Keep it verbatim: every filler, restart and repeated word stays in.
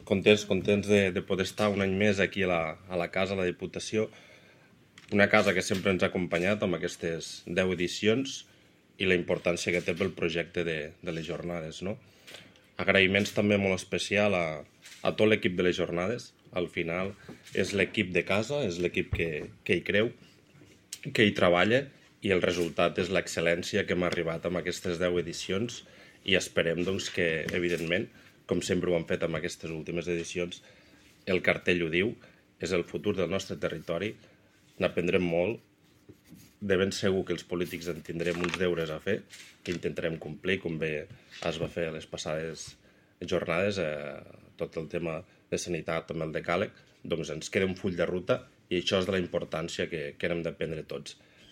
contents, contents de, de poder estar un any més aquí a la, a la casa, a la Diputació, una casa que sempre ens ha acompanyat amb aquestes deu edicions i la importància que té pel projecte de, de les jornades, no? Agraïments també molt especial a, a tot l'equip de les jornades. Al final és l'equip de casa, és l'equip que, que hi creu, que hi treballa, i el resultat és l'excel·lència que hem arribat amb aquestes deu edicions, i esperem doncs, que, evidentment, com sempre ho han fet amb aquestes últimes edicions, el cartell ho diu, és el futur del nostre territori, n'aprendrem molt, de ben segur que els polítics en tindrem uns deures a fer, que intentarem complir, com bé es va fer a les passades jornades, eh, tot el tema de sanitat amb el decàleg, doncs ens queda un full de ruta, i això és de la importància que, que hem d'aprendre tots.